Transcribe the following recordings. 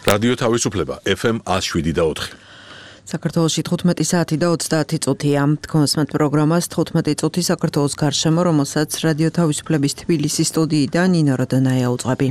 რადიო თავისუფლება FM 107.4. საქართველოში 15 საათი და 30 წუთია. თქვენსმეთ პროგრამას 15 წუთი საქართველოს გარშემო, რომელსაც რადიო თავისუფლების თბილისის სტუდიიდან ნინო როდონაია უძღვები.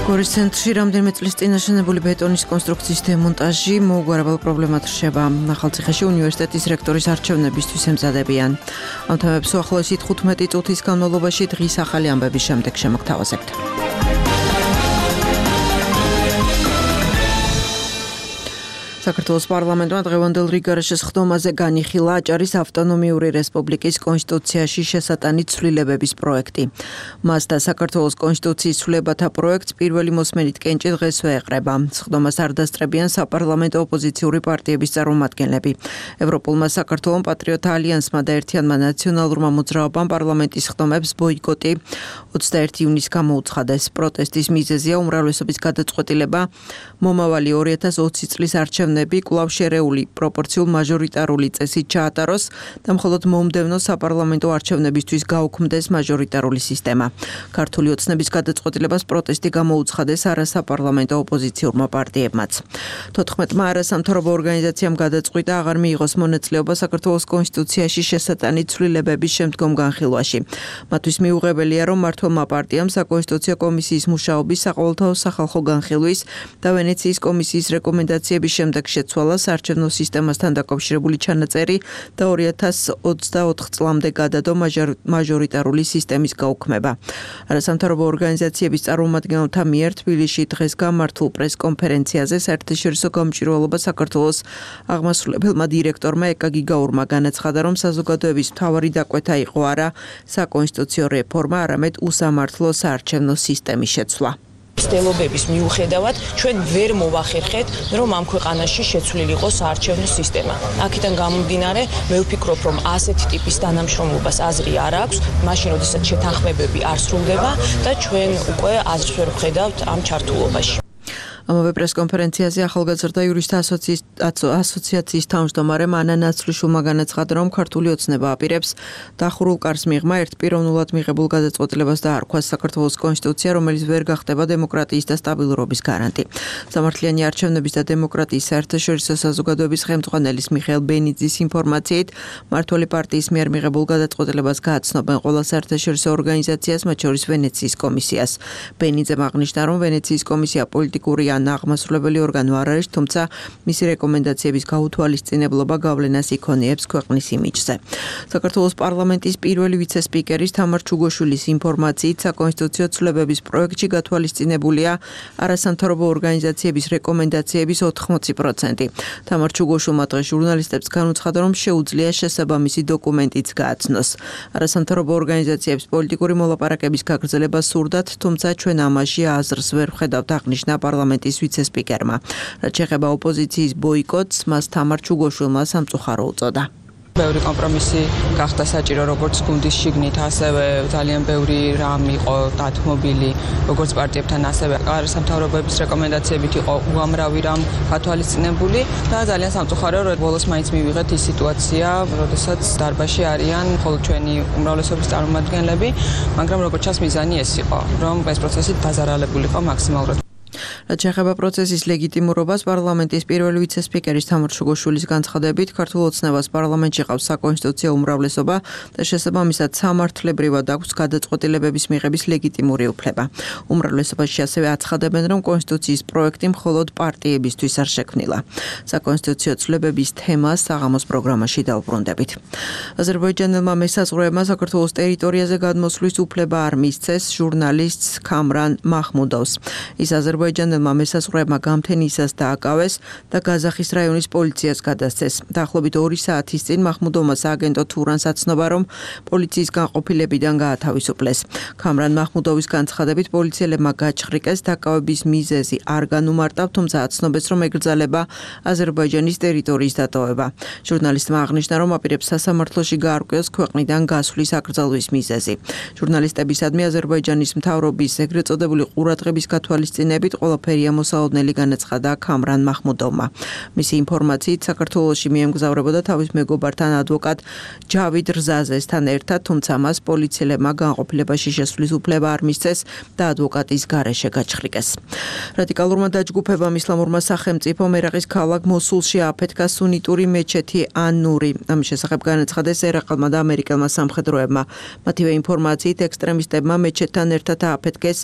გორის ცენტრში რამდენიმე წლის წინ აშენებული ბეტონის კონსტრუქციის დემონტაჟი მოუგვარებელ პრობლემად რჩება. ახალციხეში უნივერსიტეტის რექტორის არჩევნებისთვის ემზადებიან. ამ თემებს უახლოესი 15 წუთის განმავლობაში დღის ახალი ამბების შემდეგ შემოგთავაზებთ. საქართველოს პარლამენტმა დღევანდელ რიგარაშეს ხდომაზე განიხილა აჭარის ავტონომიური რესპუბლიკის კონსტიტუციაში შესატანი ცვლილებების პროექტი. მას და საქართველოს კონსტიტუციის ცვლილებათა პროექტს პირველი მოსმენით კენჭი დღესვე ეყრება. ხდომას არ დასწრებიან საპარლამენტო ოპოზიციური პარტიების წარმომადგენლები. ევროპულმა საქართველოს პატრიოტთა ალიანსმა და ერთიანმა ნაციონალურმა მოძრაობამ პარლამენტის ხდომებს ბოიკოტი 21 ივნისს გამოუცხადეს. პროტესტის მიზეზია უმრავლესობის გადაწყვეტილება მომავალი 2020 წლის არჩევნებში კვლავ შერეული პროპორციულ მაჟორიტარული წესით ჩაატაროს და მხოლოდ მომდევნო საპარლამენტო არჩევნებისთვის გაუქმდეს მაჟორიტარული სისტემა. ქართული ოცნების გადაწყვეტილებას პროტესტი გამოუცხადეს არასაპარლამენტო ოპოზიციურმა პარტიებმაც. 14-მა არასამთავრობო ორგანიზაციამ გადაწყვიტა აღარ მიიღოს მონაწილეობა საქართველოს კონსტიტუციაში შესატანი ცვლილებების შემდგომ განხილვაში. მათთვის მიუღებელია, რომ მმართველმა პარტიამ საკონსტიტუციო კომისიის მუშაობის საყოველთაო სახალხო განხილვის და ვენეციის კომისიის რეკომენდაციების შემდეგ შეცვალა საარჩევნო სისტემასთან დაკავშირებული ჩანაწერი და 2024 წლამდე გადადო მაჟორიტარული სისტემის გაუქმება. არასამთავრობო ორგანიზაციების წარმომადგენელთა მიერ თბილისში დღეს გამართულ პრესკონფერენციაზე საერთაშორისო გამჭვირვალობა საქართველოს აღმასრულებელმა დირექტორმა ეკა გიგაურმა განაცხადა, რომ საზოგადოების მთავარი დაკვეთა იყო არა საკონსტიტუციო რეფორმა, არამედ უსამართლო საარჩევნო სისტემის შეცვლა. ცდილობების მიუხედავად ჩვენ ვერ მოვახერხეთ, რომ ამ ქვეყანაში შეცვლილი იყოს საარჩევნო სისტემა. აქედან გამომდინარე, მე ვფიქრობ, რომ ასეთი ტიპის თანამშრომლობას აზრი არ აქვს, მაშინ როდესაც შეთანხმებები არ სრულდება და ჩვენ უკვე აზრს ვერ ვხედავთ ამ ჩართულობაში. ამავე პრესკონფერენციაზე ახალგაზრდა იურისტთა ასოციაციის თავმჯდომარე მანა ნაცვლიშვილმა განაცხადა, რომ ქართული ოცნება აპირებს დახურულ კარს მიღმა ერთპიროვნულად მიღებულ გადაწყვეტილებას დაარქვას საქართველოს კონსტიტუცია, რომელიც ვერ გახდება დემოკრატიის და სტაბილურობის გარანტი. სამართლიანი არჩევნების და დემოკრატიის საერთაშორისო საზოგადოების ხელმძღვანელის მიხეილ ბენიძის ინფორმაციით, მმართველი პარტიის მიერ მიღებულ გადაწყვეტილებას გააცნობენ ყველა საერთაშორისო ორგანიზაციას, მათ შორის ვენეციის კომისიას. ბენიძემ აღნიშნა, რომ ვენეციის კომისია პოლიტიკური აღმასრულებელი ორგანო არ არის, თუმცა მისი რეკომენდაციების გაუთვალისწინებლობა გავლენას იქონიებს ქვეყნის იმიჯზე. საქართველოს პარლამენტის პირველი ვიცე-სპიკერის თამარ ჩუგოშვილის ინფორმაციით, საკონსტიტუციო ცვლილებების პროექტში გათვალისწინებულია არასამთავრობო ორგანიზაციების რეკომენდაციების 80%. თამარ ჩუგოშვილმა დღეს ჟურნალისტებს განუცხადა, რომ შეუძლია შესაბამისი დოკუმენტიც გააცნოს. არასამთავრობო ორგანიზაციებს პოლიტიკური მოლაპარაკების გაგრძელება სურდათ, თუმცა ჩვენ ამაში აზრს ვერ ვხედავთ, აღნიშნა პარლამენტის ვიცე-სპიკერმა. რაც შეეხება ოპოზიციის ბოიკოტს, მას თამარ ჩუგოშვილმა სამწუხარო უწოდა. ბევრი კომპრომისი გახდა საჭირო, როგორც გუნდის შიგნით, ასევე ძალიან ბევრი რამ იყო დათმობილი, როგორც პარტიებთან, ასევე არასამთავრობოების რეკომენდაციებით იყო უამრავი რამ გათვალისწინებული და ძალიან სამწუხაროა, რომ ბოლოს მაინც მივიღეთ ის სიტუაცია, როდესაც დარბაზში არიან მხოლოდ ჩვენი უმრავლესობის წარმომადგენლები, მაგრამ როგორც ჩანს მიზანი ეს იყო, რომ ეს პროცესი დაზარალებულიყო მაქსიმალურად. რაც შეეხება პროცესის ლეგიტიმურობას, პარლამენტის პირველი ვიცე-სპიკერის თამარ ჩუგოშვილის განცხადებით, ქართულ ოცნებას პარლამენტში ყავს საკონსტიტუციო უმრავლესობა და შესაბამისად სამართლებრივად აქვს გადაწყვეტილებების მიღების ლეგიტიმური უფლება. უმრავლესობაში ასევე აცხადებენ, რომ კონსტიტუციის პროექტი მხოლოდ პარტიებისთვის არ შექმნილა. საკონსტიტუციო ცვლილებების თემას საღამოს პროგრამაში დავუბრუნდებით. აზერბაიჯანელმა მესაზღვრეებმა საქართველოს ტერიტორიაზე გადმოსვლის უფლება არ მისცეს ჟურნალისტს ქამრან მაჰმუდოვს. ის აზერბაიჯანელმა მესაზღვრეებმა გამთენისას დააკავეს და გაზახის რაიონის პოლიციას გადასცეს. დაახლოებით 2 საათის წინ მაჰმუდოვმა სააგენტო თურანს აცნობა, რომ პოლიციის განყოფილებიდან გაათავისუფლეს. ქამრან მაჰმუდოვის განცხადებით, პოლიციელებმა გაჩხრიკეს დაკავების მიზეზი არ განუმარტავ, თუმცა აცნობეს, რომ ეკრძალება აზერბაიჯანის ტერიტორიის დატოვება. ჟურნალისტმა აღნიშნა, რომ აპირებს სასამართლოში გაარკვიოს ქვეყნიდან გასვლის აკრძალვის მიზეზი. ჟურნალისტებისადმი აზერბაიჯანის მთავრობის ეგრეთ წოდებული ყურადღების გათვალისწინებით ყველაფერი ყველაფერია მოსალოდნელი განაცხადა ქამრან მაჰმუდოვმა. მისი ინფორმაციით საქართველოში მიემგზავრებოდა თავის მეგობართან ადვოკატ ჯავიდ რზაზესთან ერთად, თუმცა მას პოლიციელებმა განყოფილებაში შესვლის უფლება არ მისცეს და ადვოკატის გარეშე გაჩხრიკეს. რადიკალურმა დაჯგუფებამ ისლამურმა სახელმწიფომ ერაყის ქალაქ მოსულში აფეთქა სუნიტური მეჩეთი ან-ნური. ამის შესახებ განაცხადეს ერაყელმა და ამერიკელმა სამხედროებმა. მათივე ინფორმაციით ექსტრემისტებმა მეჩეთთან ერთად აფეთქეს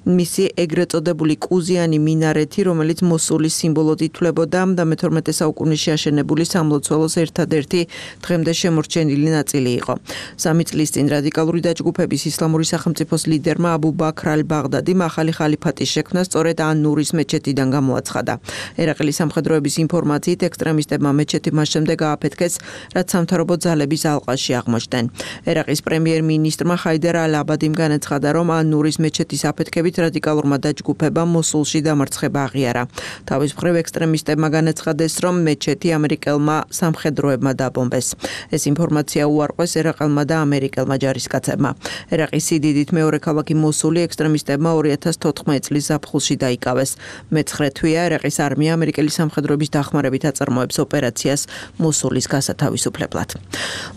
მისი ეგრეთ წოდებული კუზიანი მინარეთი, რომელიც მოსულის სიმბოლოდ ითვლებოდა და მე-12 საუკუნეში აშენებული სამლოცველოს ერთადერთი დღემდე შემორჩენილი ნაწილი იყო. 3 წლის წინ რადიკალური დაჯგუფების ისლამური სახელმწიფოს ლიდერმა აბუ ბაქრ ალ-ბაღდადიმ ახალი ხალიფატის შექმნა სწორედ ან-ნურის მეჩეთიდან გამოაცხადა. ერაყელის სამხედროების ინფორმაციით ექსტრემისტებმა მეჩეთი მას შემდეგ ააფეთქეს, რაც სამთავრობო ძალების ალყაში აღმოჩნდნენ. ერაყის პრემიერ-მინისტრმა ხაიდარ ალ-აბადიმ განაცხადა, რომ ან-ნურის მეჩეთის აფეთქებით რადიკალურმა დაჯგუფებამ მოსულში დამარცხება აღიარა. თავის მხრივ ექსტრემისტებმა განაცხადეს, რომ მეჩეთი ამერიკელმა სამხედროებმა დაბომბეს. ეს ინფორმაცია უარყვეს ერაყელმა და ამერიკელმა ჯარისკაცებმა. ერაყის სიდიდით მეორე ქალაქი მოსული ექსტრემისტებმა 2014 წლის ზაფხულში დაიკავეს. მე-9 თვეა ერაყის არმია ამერიკელი სამხედროების დახმარებით აწარმოებს ოპერაციას მოსულის გასათავისუფლებლად.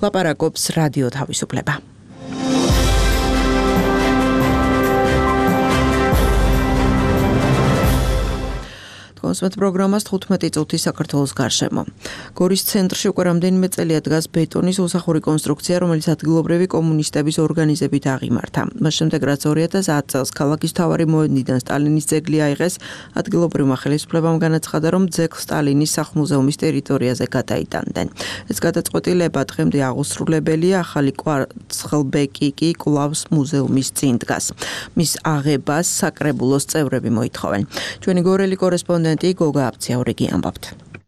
ლაპარაკობს რადიო თავისუფლება. კონსმეთ პროგრამას 15 წუთი საქართველოს გარშემო. გორის ცენტრში უკვე რამდენიმე წელია დგას ბეტონის უსახური კონსტრუქცია, რომელიც ადგილობრივი კომუნისტების ორგანიზებით აღიმართა. მას შემდეგ, რაც 2010 წელს ქალაქის მთავარი მოედნიდან სტალინის ძეგლი აიღეს, ადგილობრივმა ხელისუფლებამ განაცხადა, რომ ძეგლს სტალინის სახლ-მუზეუმის ტერიტორიაზე გადაიტანდნენ. ეს გადაწყვეტილება დღემდე აღუსრულებელია, ახალი კვარცხლბეკი კი კვლავ მუზეუმის წინ დგას. მის აღებას საკრებულოს წევრები მოითხოვენ. ჩვენი გორელი კორესპონდენტი გოგა აბციაურიგი ამბობთ.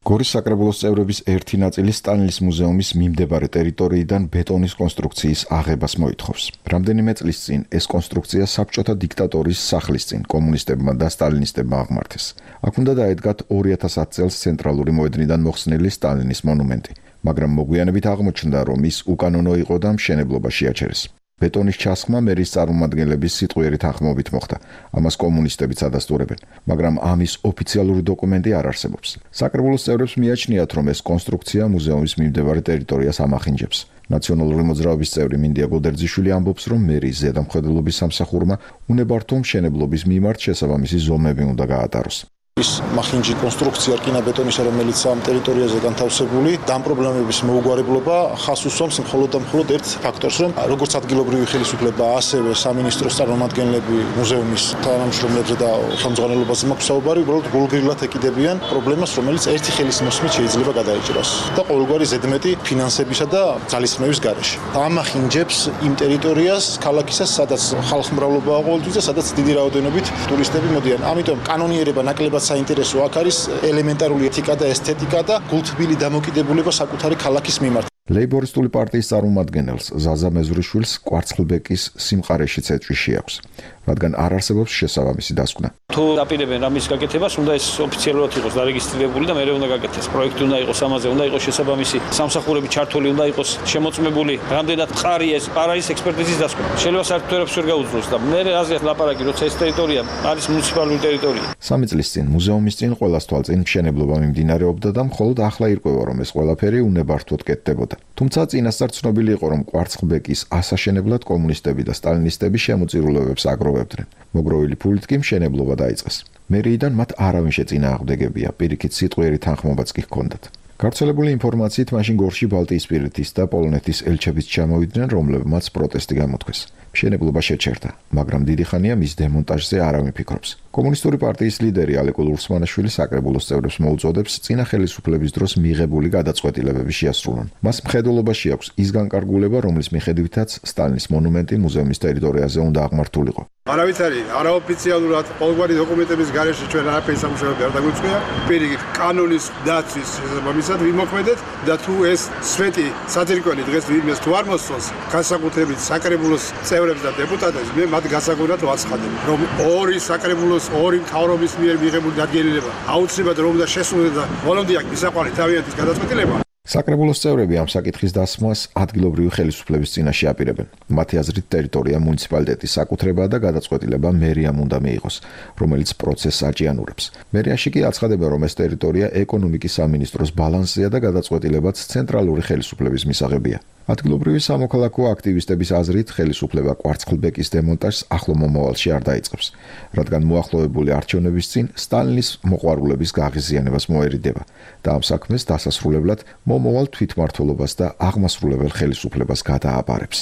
გორის საკრებულოს წევრების ერთი ნაწილი სტალინის მუზეუმის მიმდებარე ტერიტორიიდან ბეტონის კონსტრუქციის აღებას მოითხოვს. რამდენიმე წლის წინ ეს კონსტრუქცია საბჭოთა დიქტატორის სახლის წინ კომუნისტებმა და სტალინისტებმა აღმართეს. აქ უნდა დაედგათ 2010 წელს ცენტრალური მოედნიდან მოხსნილი სტალინის მონუმენტი, მაგრამ მოგვიანებით აღმოჩნდა, რომ ის უკანონო იყო და მშენებლობა შეაჩერეს. ბეტონის ჩასხმა მერის წარმომადგენლების სიტყვიერი თანხმობით მოხდა. ამას კომუნისტებიც ადასტურებენ, მაგრამ ამის ოფიციალური დოკუმენტი არ არსებობს. საკრებულოს წევრებს მიაჩნიათ, რომ ეს კონსტრუქცია მუზეუმის მიმდებარე ტერიტორიას ამახინჯებს. ნაციონალური მოძრაობის წევრი მინდია გოდერძიშვილი ამბობს, რომ მერის ზედამხედველობის სამსახურმა უნებართო მშენებლობის მიმართ შესაბამისი ზომები უნდა გაატაროს. ის მახინჯი კონსტრუქცია რკინაბეტონისა, რომელიც ამ ტერიტორიაზე განთავსებული, ამ პრობლემების მოუგვარებლობა ხას უსვამს მხოლოდ და მხოლოდ ერთ ფაქტორს, რომ როგორც ადგილობრივი ხელისუფლება, ასევე სამინისტროს წარმომადგენლები მუზეუმის თანამშრომლებზე და ხელმძღვანელობაზე მაქვს საუბარი, უბრალოდ გულგრილად ეკიდებიან პრობლემას, რომელიც ერთი ხელის მოსმით შეიძლება გადაიჭრას და ყოველგვარი ზედმეტი ფინანსებისა და ძალისხმევის გარეშე. ამახინჯებს იმ ტერიტორიას, ქალაქისას, სადაც ხალხმრავლობაა ყოველთვის და სადაც დიდი რაოდენობით ტურისტები მოდიან. ამიტომ კანონიერება ნაკლებად საინტერესო აქ არის ელემენტარული ეთიკა და ესთეტიკა და გულთბილი დამოკიდებულება საკუთარი ქალაქის მიმართ. ლეიბორისტული პარტიის წარმომადგენელს ზაზა მეზვრიშვილს კვარცხლბეკის სიმყარეშიც ეჭვი აქვს, რადგან არ არსებობს შესაბამისი დასკვნა. თუ დაპირებენ ამის გაკეთებას, უნდა ეს ოფიციალურად იყოს დარეგისტრირებული და მერე უნდა გაკეთდეს. პროექტი უნდა იყოს ამაზე, უნდა იყოს შესაბამისი სამსახურები ჩართული, უნდა იყოს შემოწმებული, რამდენად მყარი ეს არ არის ექსპერტიზის დასკვნა. შეიძლება საერთოდ ვერ გაუძლოს და მერე აზრით ლაპარაკი, როცა ეს ტერიტორია არის მუნიციპალური ტერიტორია. 3 წლის წინ მუზეუმის წინ ყოველას თვალწინ მშენებლობა მიმდინარეობდა და მხოლოდ ახლა ირკვევა, რომ ეს ყველაფერი უნებართვოდ კეთდებოდა. თუმცა წინასწარ ცნობილი იყო, რომ კვარცხლბეკის ასაშენებლად კომუნისტები და სტალინისტები შემოწირულობებს აგროვებდნენ. მოგროვილი ფულით კი მშენებლობა დაიწყეს. მერიიდან მათ არავინ შეწინააღმდეგებია, პირიქით სიტყვიერი თანხმობაც კი ჰქონდათ. გავრცელებული ინფორმაციით მაშინ გორში ბალტიისპირეთის და პოლონეთის ელჩებიც ჩამოვიდნენ, რომლებმაც პროტესტი გამოთქვეს. მშენებლობა შეჩერდა, მაგრამ დიდი ხანია მის დემონტაჟზე არავინ ფიქრობს. კომუნისტური პარტიის ლიდერი ალეკულ ურსმანაშვილი საკრებულოს წევრებს მოუწოდებს წინა ხელისუფლების დროს მიღებული გადაწყვეტილებები შეასრულონ. მას მხედველობაში აქვს ის განკარგულება, რომლის მიხედვითაც სტალინის მონუმენტი მუზეუმის ტერიტორიაზე უნდა აღმართულიყო. არავითარი არაოფიციალურად ყოველგვარი დოკუმენტების გარეშე ჩვენ არაფერი სამუშაოები არ დაგვიწყვია. პირიქით კანონის დაცვის შესაბამისად ვიმოქმედეთ და თუ ეს სვეტი საძირკველი დღეს ვინმეს თუ არ მოსწონს, განსაკუთრებით საკრებულოს წევრებს და დეპუტატებს, მე მათ გასაგონად ვაცხადებ, რომ ორი საკრებულოს, ორი მთავრობის მიერ მიღებული დადგენილება აუცილებლად რომ უნდა შესრულდეს და ბოლომდე აქ მისაყვანი თავიანთის გადაწყვეტილება. საკრებულოს წევრები ამ საკითხის დასმას ადგილობრივი ხელისუფლების წინაშე აპირებენ. მათი აზრით ტერიტორია მუნიციპალიტეტის საკუთრებაა და გადაწყვეტილება მერიამ უნდა მიიღოს, რომელიც პროცესს აჭიანურებს. მერიაში კი აცხადება, რომ ეს ტერიტორია ეკონომიკის სამინისტროს ბალანსზეა და გადაწყვეტილებაც ცენტრალური ხელისუფლების მისაღებია. ადგილობრივი სამოქალაქო აქტივისტების აზრით, ხელისუფლება კვარცხლბეკის დემონტაჟს ახლო მომავალში არ დაიწყებს, რადგან მოახლოებული არჩევნების წინ სტალინის მოყვარულების გაღიზიანებას მოერიდება და ამ საქმეს დასასრულებლად მომავალ თვითმმართველობას და აღმასრულებელ ხელისუფლებას გადააბარებს.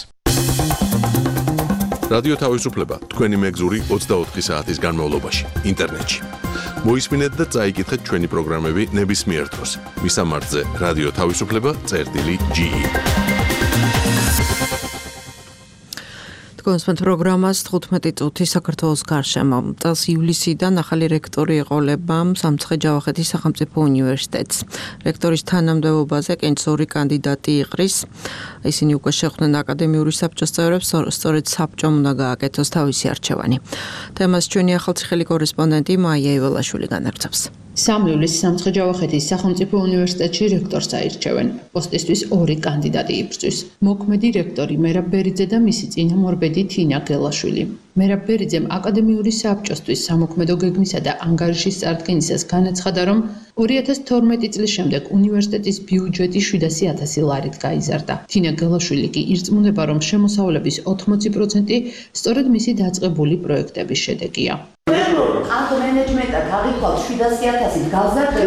რადიო თავისუფლება თქვენი მეგზური 24 საათის განმავლობაში ინტერნეტში. მოისმინეთ და წაიკითხეთ ჩვენი პროგრამები ნებისმიერ დროს. მისამართზე რადიო თავისუფლება.ge კონსპენთ პროგრამას 15 წუთი საქართველოს გარშემო. წელს ივლისიდან ახალი რექტორი ეყოლება სამცხე-ჯავახეთის სახელმწიფო უნივერსიტეტს. რექტორის თანამდებობაზე კენჭს 2 კანდიდატი იყრის. ისინი უკვე შეხვდნენ აკადემიური საბჭოს წევრებს, სწორედ საბჭომ უნდა გააკეთოს თავისი არჩევანი. თემას ჩვენი ახალციხელი კორესპონდენტი მაია იველაშვილი განაგრძობს. სამივლის სამცხე-ჯავახეთის სახელმწიფო უნივერსიტეტში რექტორს აირჩევენ. პოსტისთვის 2 კანდიდატი იბრძვის. მოქმედი რექტორი მერაბ ბერიძე და მისი წინამორბედი თინა გელაშვილი. მერაბ ბერიძემ აკადემიური საბჭოსთვის სამოქმედო გეგმისა და ანგარიშის წარდგენისას განაცხადა, რომ 2012 წლის შემდეგ უნივერსიტეტის ბიუჯეტი 700,000 ლარით გაიზარდა. თინა გელაშვილი კი ირწმუნება, რომ შემოსავლების 80% სწორედ მისი დაწყებული პროექტების შედეგია. ამ მენეჯმენტად აღიქვათ 700,000 გავზარდე,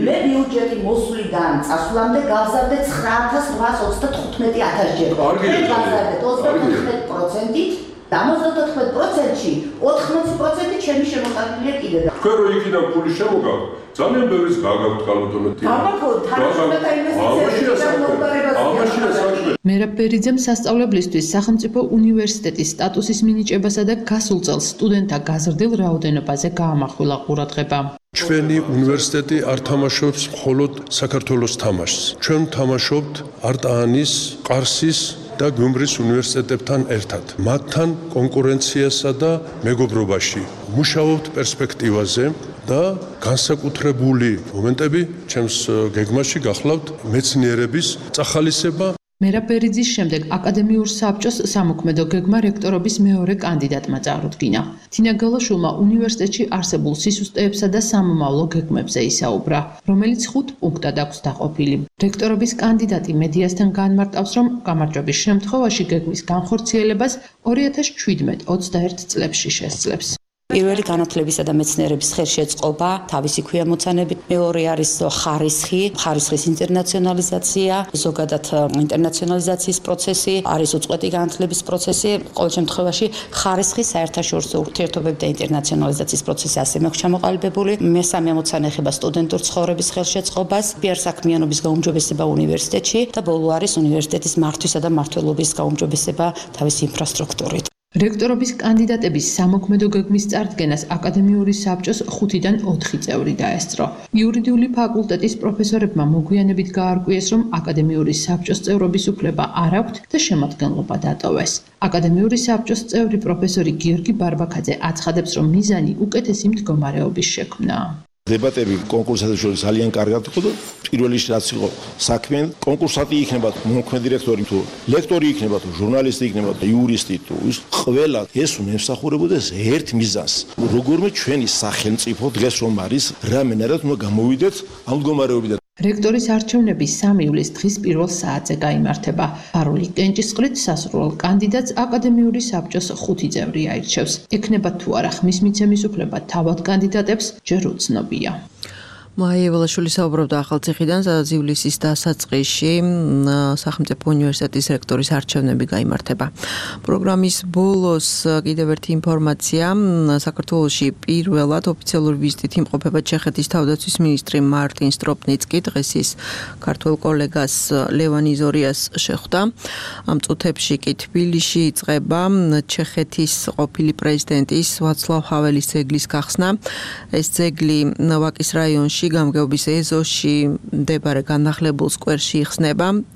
მე ბიუჯეტი მოსვლიდან წასვლამდე გავზარდე 9,835,000 ჯერ. მე გავზარდე 35%-ით და 94%-ში 80% ჩემი შემოყალიბებულია კიდე. თქვენ რო იქიდან ფული შემოგავთ, ძალიან ბევრის გაგავთ კალბატონეთი. მერაბ ბერიძემ სასწავლებლისთვის სახელმწიფო უნივერსიტეტის სტატუსის მინიჭებასა და გასულ წელს სტუდენტთა გაზრდილ რაოდენობაზე გაამახვილა ყურადღება. ჩვენი უნივერსიტეტი არ თამაშობს მხოლოდ საქართველოს თამაშს. ჩვენ თამაშობთ არტაანის, ყარსის და გუმრის უნივერსიტეტებთან ერთად. მათთან კონკურენციასა და მეგობრობაში მუშაობთ პერსპექტივაზე და განსაკუთრებული მომენტები ჩემს გეგმაში გახლავთ მეცნიერების წახალისება. მერაბ ბერიძის შემდეგ აკადემიურ საბჭოს სამოქმედო გეგმა რექტორობის მეორე კანდიდატმა წარუდგინა. თინა გელაშვილმა უნივერსიტეტში არსებულ სისუსტეებსა და სამომავლო გეგმებზე ისაუბრა, რომელიც 5 პუნქტად აქვს დაყოფილი. რექტორობის კანდიდატი მედიასთან განმარტავს, რომ გამარჯვების შემთხვევაში გეგმის განხორციელებას 2017-21 წლებში შესძლებს. პირველი განათლებისა და მეცნიერების ხელშეწყობა, თავისი ქვემოცანებით, მეორე არის ხარისხის ინტერნაციონალიზაცია, ზოგადად ინტერნაციონალიზაციის პროცესი, არის უწყვეტი განათლების პროცესი, ყოველ შემთხვევაში ხარისხის საერთაშორისო ურთიერთობები და ინტერნაციონალიზაციის პროცესი ასევე მაქვს ჩამოყალიბებული. მესამე ამოცანა ეხება სტუდენტურ ცხოვრების ხელშეწყობას, პიარსაქმიანობის გაუმჯობესება უნივერსიტეტში და ბოლო არის უნივერსიტეტის მართვისა და მმართველობის გაუმჯობესება თავისი ინფრასტრუქტურით. რექტორობის კანდიდატების სამოქმედო გეგმის წარდგენას აკადემიური საბჭოს 5-დან 4 წევრი დაესწრო. იურიდიული ფაკულტეტის პროფესორებმა მოგვიანებით გაარკვიეს, რომ აკადემიური საბჭოს წევრობის უფლება არ აქვთ და შემადგენლობა დატოვეს. აკადემიური საბჭოს წევრი პროფესორი გიორგი ბარბაქაძე აცხადებს, რომ მიზანი უკეთესი მდგომარეობის შექმნაა. დებატები კონკურსათა შორის ძალიან კარგად იყო და პირველი რაც იყო საქმე კონკურსატი იქნება მოქმედი რექტორი თუ ლექტორი იქნება თუ ჟურნალისტი იქნება თუ იურისტი თუ ის ყველა ეს უნდა ემსახურებოდეს ერთ მიზანს როგორმე ჩვენი სახელმწიფო დღეს რომ არის რამენერად უნდა გამოვიდეთ ამ მდგომარეობიდან. რექტორის არჩევნები 3 ივლისს დღის პირველ საათზე გაიმართება. პარული კენჭისყრით სასურველ კანდიდატს აკადემიური საბჭოს 5 წევრი აირჩევს. ექნება თუ არა ხმის მიცემის უფლება თავად კანდიდატებს ჯერ უცნობია. მაია იველაშვილი საუბრობდა ახალციხიდან, სადაც ივლისის დასაწყისში სახელმწიფო უნივერსიტეტის რექტორის არჩევნები გაიმართება. პროგრამის ბოლოს კიდევ ერთი ინფორმაცია, საქართველოში პირველად ოფიციალური ვიზიტით იმყოფება ჩეხეთის თავდაცვის მინისტრი მარტინ სტროპნიცკი, დღეს ის ქართველ კოლეგას ლევან იზორიას შეხვდა. ამ წუთებში კი თბილისში იწყება ჩეხეთის ყოფილი პრეზიდენტის ვაცლავ ჰაველის ძეგლის გახსნა. ეს ძეგლი ვაკის რაიონში გამგეობის ეზოში მდებარე განახლებულ სკვერში იხსნება.